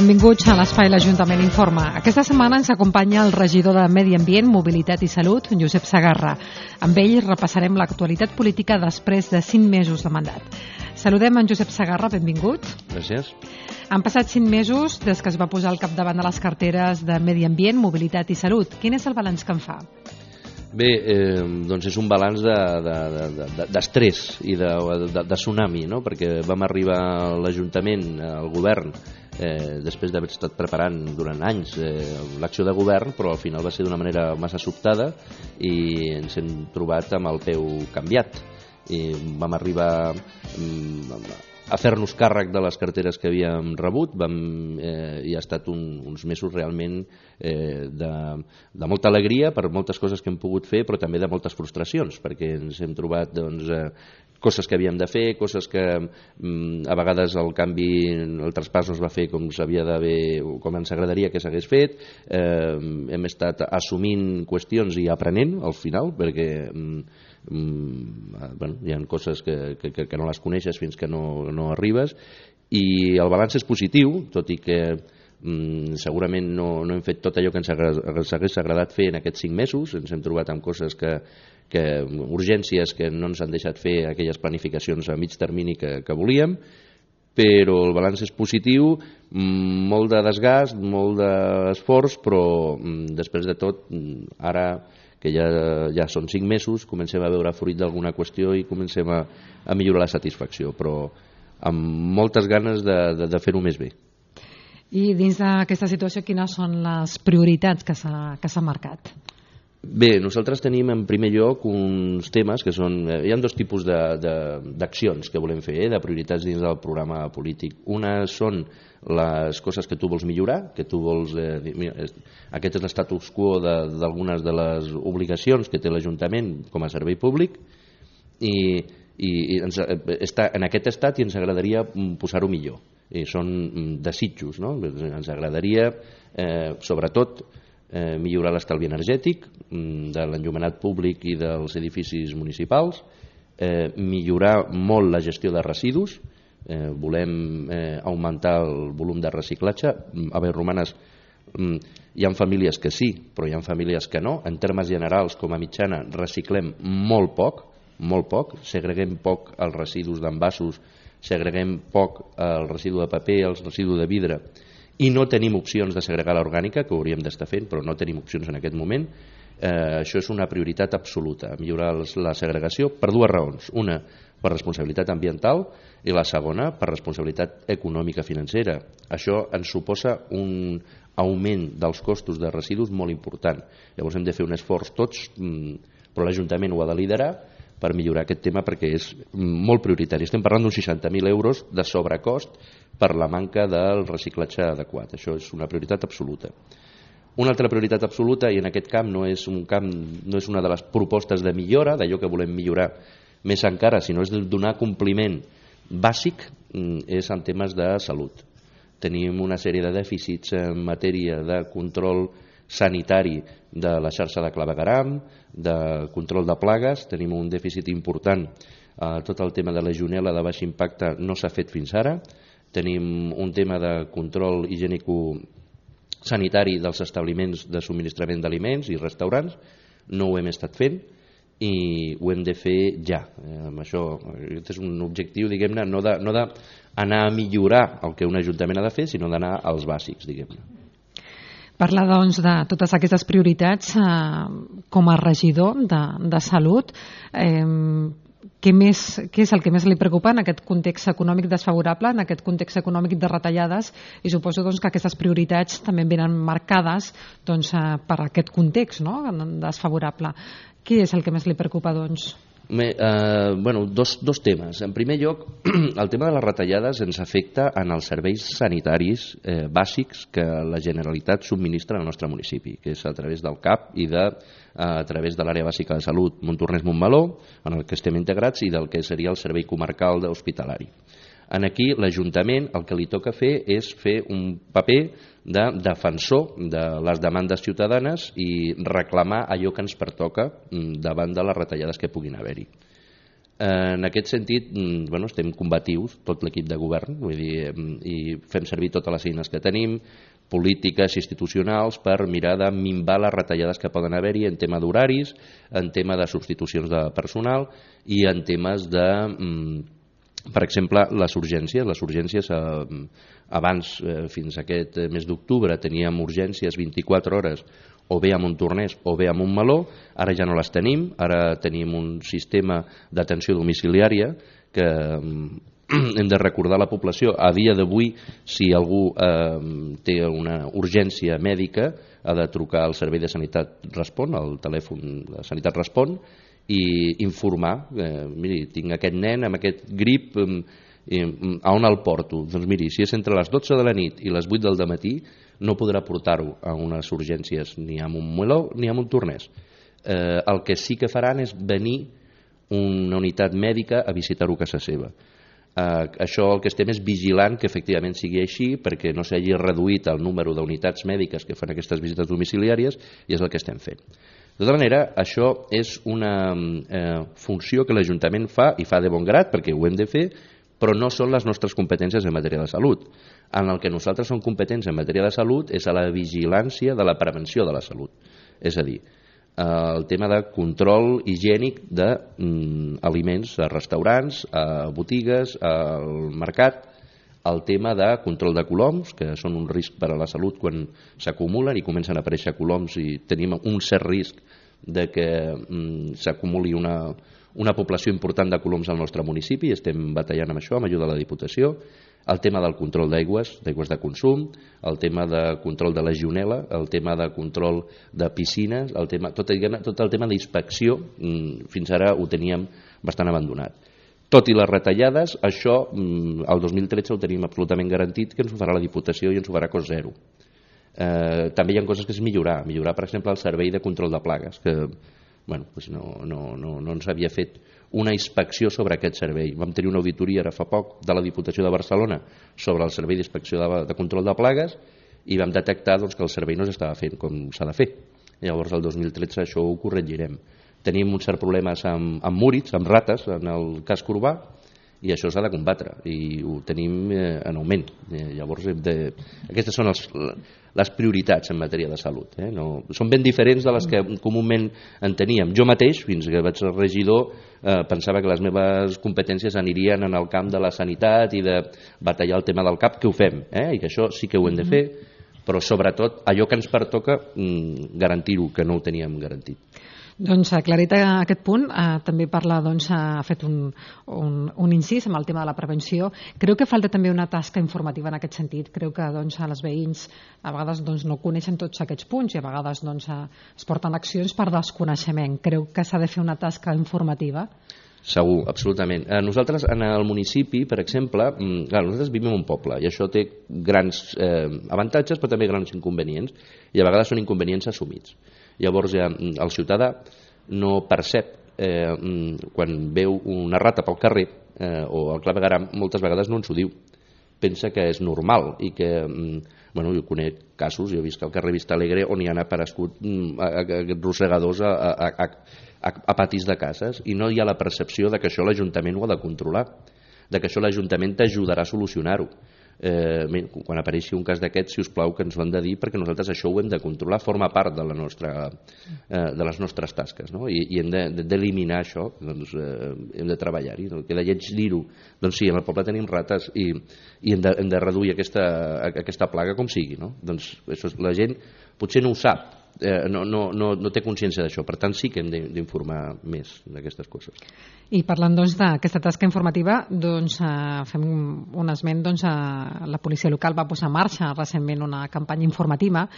Benvinguts a l'Espai l'Ajuntament Informa. Aquesta setmana ens acompanya el regidor de Medi Ambient, Mobilitat i Salut, Josep Segarra. Amb ell repassarem l'actualitat política després de 5 mesos de mandat. Saludem en Josep Segarra, benvingut. Gràcies. Han passat 5 mesos des que es va posar al capdavant de les carteres de Medi Ambient, Mobilitat i Salut. Quin és el balanç que en fa? Bé, doncs és un balanç d'estrès i de tsunami, no? Perquè vam arribar a l'Ajuntament, al govern, després d'haver estat preparant durant anys l'acció de govern, però al final va ser d'una manera massa sobtada i ens hem trobat amb el peu canviat. I vam arribar a fer-nos càrrec de les carteres que havíem rebut i ha estat uns mesos realment de molta alegria per moltes coses que hem pogut fer, però també de moltes frustracions, perquè ens hem trobat coses que havíem de fer, coses que a vegades el traspàs no es va fer com s'havia d'haver, com ens agradaria que s'hagués fet. Hem estat assumint qüestions i aprenent al final, perquè hi ha coses que no les coneixes fins que no arribes, i el balanç és positiu, tot i que segurament no hem fet tot allò que ens hagués agradat fer en aquests 5 mesos. Ens hem trobat amb coses urgències que no ens han deixat fer aquelles planificacions a mig termini que volíem, però el balanç és positiu, molt de desgast, molt d'esforç, però després de tot, ara que ja són 5 mesos, comencem a veure fruit d'alguna qüestió i comencem a millorar la satisfacció, però amb moltes ganes de fer-ho més bé. I dins d'aquesta situació, quines són les prioritats que s'ha marcat? Bé, nosaltres tenim en primer lloc uns temes que són... Hi ha 2 tipus d'accions que volem fer, de prioritats dins del programa polític. Una són les coses que tu vols millorar, que tu vols... Aquest és l'estatus quo d'algunes de les obligacions que té l'Ajuntament com a servei públic, i està en aquest estat i ens agradaria posar-ho millor. I són desitjos, no? Ens agradaria, sobretot, millorar l'estalvi energètic de l'enllumenat públic i dels edificis municipals, millorar molt la gestió de residus, volem augmentar el volum de reciclatge. A veure, Romanes, hi ha famílies que sí, però hi ha famílies que no. En termes generals, com a mitjana, reciclem molt poc, segreguem poc els residus d'envasos, segreguem poc el residu de paper, el residu de vidre, i no tenim opcions de segregar l'orgànica, que ho hauríem d'estar fent, però no tenim opcions en aquest moment. Això és una prioritat absoluta, millorar la segregació, per 2 raons. Una, per responsabilitat ambiental, i la segona, per responsabilitat econòmica financera. Això ens suposa un augment dels costos de residus molt important. Llavors hem de fer un esforç tots, però l'Ajuntament ho ha de liderar per millorar aquest tema, perquè és molt prioritari. Estem parlant d'uns 60.000 euros de sobrecost per la manca del reciclatge adequat. Això és una prioritat absoluta. Una altra prioritat absoluta, i en aquest camp no és una de les propostes de millora, d'allò que volem millorar més encara, sinó és de donar compliment bàsic, és en temes de salut. Tenim una sèrie de dèficits en matèria de control sanitari de la xarxa de clavegueram, de control de plagues. Tenim un dèficit important. Tot el tema de legionel·la de baix impacte no s'ha fet fins ara. Tenim un tema de control higiènico-sanitari dels establiments de subministrament d'aliments i restaurants. No ho hem estat fent i ho hem de fer ja. Aquest és un objectiu, diguem-ne, no d'anar a millorar el que un ajuntament ha de fer, sinó d'anar als bàsics, diguem-ne. Parla, doncs, de totes aquestes prioritats com a regidor de Salut. Què és el que més li preocupa en aquest context econòmic desfavorable, en aquest context econòmic de retallades? I suposo que aquestes prioritats també venen marcades per aquest context, no?, desfavorable. Què és el que més li preocupa, doncs? Dos temes. En primer lloc, el tema de les retallades ens afecta en els serveis sanitaris bàsics que la Generalitat subministra al nostre municipi, que és a través del CAP i a través de l'àrea bàsica de salut Montornès-Montmeló, en el que estem integrats, i del que seria el servei comarcal hospitalari. Aquí l'Ajuntament el que li toca fer és fer un paper de defensor de les demandes ciutadanes i reclamar allò que ens pertoca davant de les retallades que puguin haver-hi. En aquest sentit, estem combatius, tot l'equip de govern, vull dir, i fem servir totes les eines que tenim, polítiques institucionals, per mirar de minvar les retallades que poden haver-hi en tema d'horaris, en tema de substitucions de personal i en temes de, per exemple, les urgències. Les urgències, abans, fins a aquest mes d'octubre, teníem urgències 24 hores o bé a Montornès o bé a Montmeló, ara ja no les tenim, ara tenim un sistema d'atenció domiciliària que hem de recordar a la població. A dia d'avui, si algú té una urgència mèdica, ha de trucar al Servei de Sanitat Respon, al telèfon de Sanitat Respon, i informar, miri, tinc aquest nen amb aquest grip, a on el porto? Doncs miri, si és entre les 12 de la nit i les 8 del dematí, no podrà portar-ho a unes urgències ni a Montmeló ni a Montornès. El que sí que faran és venir una unitat mèdica a visitar-ho a casa seva. Això el que estem és vigilant que efectivament sigui així, perquè no s'hagi reduït el número d'unitats mèdiques que fan aquestes visites domiciliàries, i és el que estem fent. De tota manera, això és una funció que l'Ajuntament fa, i fa de bon grat, perquè ho hem de fer, però no són les nostres competències en matèria de salut. En el que nosaltres som competents en matèria de salut és a la vigilància de la prevenció de la salut. És a dir, el tema de control higiènic d'aliments a restaurants, a botigues, al mercat, el tema de control de coloms, que són un risc per a la salut quan s'acumulen i comencen a aparèixer coloms, i tenim un cert risc de que s'acumuli una població important de coloms al nostre municipi, i estem batallant amb això, amb ajuda de la Diputació. El tema del control d'aigües de consum, el tema de control de legionel·la, el tema de control de piscines, tot el tema d'inspecció, fins ara ho teníem bastant abandonat. Tot i les retallades, això el 2013 ho tenim absolutament garantit, que ens ho farà la Diputació i ens ho farà cost zero. També hi ha coses que és millorar, per exemple, el servei de control de plagues, que no ens havia fet una inspecció sobre aquest servei. Vam tenir una auditoria ara fa poc de la Diputació de Barcelona sobre el servei d'inspecció de control de plagues, i vam detectar que el servei no s'estava fent com s'ha de fer. Llavors el 2013 això ho corregirem. Tenim uns certs problemes amb múrids, amb rates en el casc urbà, i això s'ha de combatre, i ho tenim en augment. Llavors aquestes són les prioritats en matèria de salut. Són ben diferents de les que comúment en teníem. Jo mateix, fins que vaig ser regidor, pensava que les meves competències anirien en el camp de la sanitat i de batallar el tema del CAP, que ho fem, i que això sí que ho hem de fer, però sobretot allò que ens pertoca, garantir-ho, que no ho teníem garantit. Doncs aclarit aquest punt, també parla, ha fet un incís amb el tema de la prevenció. Creu que falta també una tasca informativa en aquest sentit. Creu que els veïns a vegades no coneixen tots aquests punts i a vegades es porten accions per desconeixement. Creu que s'ha de fer una tasca informativa? Segur, absolutament. Nosaltres, en el municipi, per exemple, nosaltres vivim en un poble i això té grans avantatges però també grans inconvenients, i a vegades són inconvenients assumits. Llavors el ciutadà no percep quan veu una rata pel carrer o el clavegueram, moltes vegades no ens ho diu, pensa que és normal i que, jo conec casos, jo he vist que al carrer Vista Alegre on hi han aparegut rosegadors a patis de cases, i no hi ha la percepció de que això l'Ajuntament ho ha de controlar, de que això l'Ajuntament t'ajudarà a solucionar-ho. Quan apareixi un cas d'aquest, si us plau, que ens ho han de dir, perquè nosaltres això ho hem de controlar, forma part de les nostres tasques, i hem d'eliminar això, hem de treballar-hi. Que de lleig dir-ho, doncs sí, en el poble tenim rates i hem de reduir aquesta plaga com sigui. Doncs la gent potser no ho sap, no té consciència d'això, per tant sí que hem d'informar més d'aquestes coses. I parlant d'aquesta tasca informativa, fem un esment, la policia local va posar en marxa recentment una campanya informativa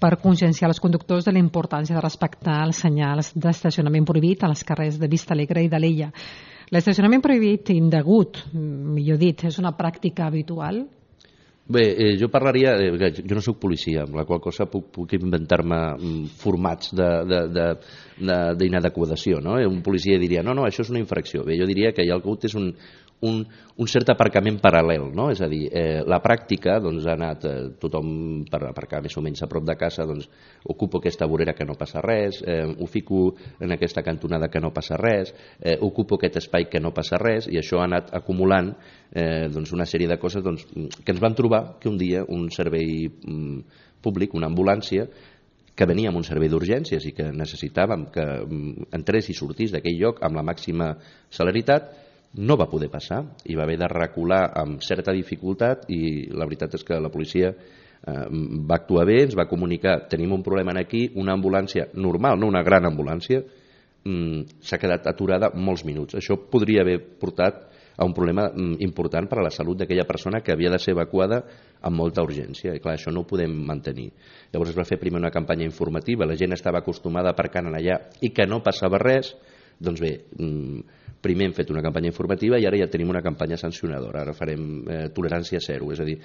per conscienciar els conductors de la importància de respectar els senyals d'estacionament prohibit a les carrers de Vista Alegre i d'Alella. L'estacionament prohibit indegut, millor dit, és una pràctica habitual? Bé, jo parlaria, jo no soc policia, amb la qual cosa puc inventar-me formats d'inadequació. Un policia diria, no, això és una infracció. Bé, jo diria que hi ha hagut un cert aparcament paral·lel, no? És a dir, la pràctica doncs, ha anat tothom per aparcar més o menys a prop de casa, doncs, ocupo aquesta vorera que no passa res, ho fico en aquesta cantonada que no passa res, ocupo aquest espai que no passa res, i això ha anat acumulant doncs, una sèrie de coses doncs, que ens vam trobar que un dia un servei públic, una ambulància, que venia amb un servei d'urgències i que necessitàvem que entrés i sortís d'aquell lloc amb la màxima celeritat, no va poder passar i va haver de recular amb certa dificultat, i la veritat és que la policia va actuar bé, ens va comunicar: tenim un problema aquí, una ambulància normal, no una gran ambulància, s'ha quedat aturada molts minuts. Això podria haver portat a un problema important per a la salut d'aquella persona que havia de ser evacuada amb molta urgència, i clar, això no ho podem mantenir. Llavors es va fer primer una campanya informativa, la gent estava acostumada a aparcar allà i que no passava res. Doncs bé, primer hem fet una campanya informativa i ara ja tenim una campanya sancionadora. Ara farem tolerància zero, és a dir,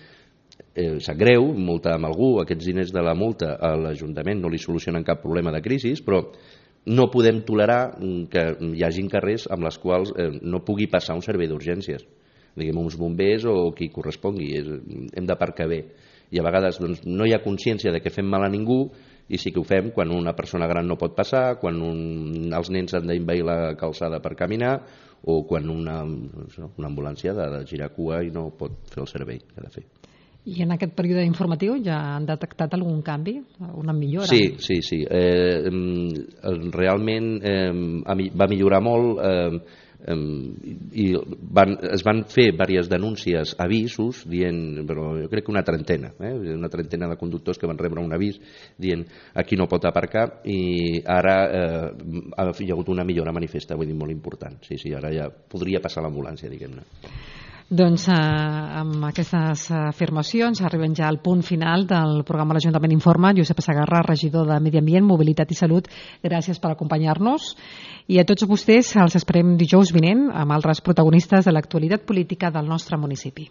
sap greu, multar amb algú, aquests diners de la multa a l'Ajuntament no li solucionen cap problema de crisi, però no podem tolerar que hi hagi carrers amb les quals no pugui passar un servei d'urgències, diguem uns bombers o qui correspongui. Hem d'aparcar bé, i a vegades doncs, no hi ha consciència de que fem mal a ningú, i sí que ho fem quan una persona gran no pot passar, quan els nens han d'invair la calçada per caminar, o quan una ambulància ha de girar cua i no pot fer el servei que ha de fer. I en aquest període informatiu ja han detectat algun canvi, una millora? Sí. Realment va millorar molt, i es van fer diverses denúncies, avisos, dient, però jo crec que una trentena de conductors que van rebre un avís dient aquí no pot aparcar, i ara hi ha hagut una millora manifesta, vull dir, molt important. Sí, ara ja podria passar l'ambulància, diguem-ne. Doncs amb aquestes afirmacions arribem ja al punt final del programa L'Ajuntament Informa. Josep Segarra, regidor de Medi Ambient, Mobilitat i Salut, gràcies per acompanyar-nos, i a tots vostès els esperem dijous vinent amb altres protagonistes de l'actualitat política del nostre municipi.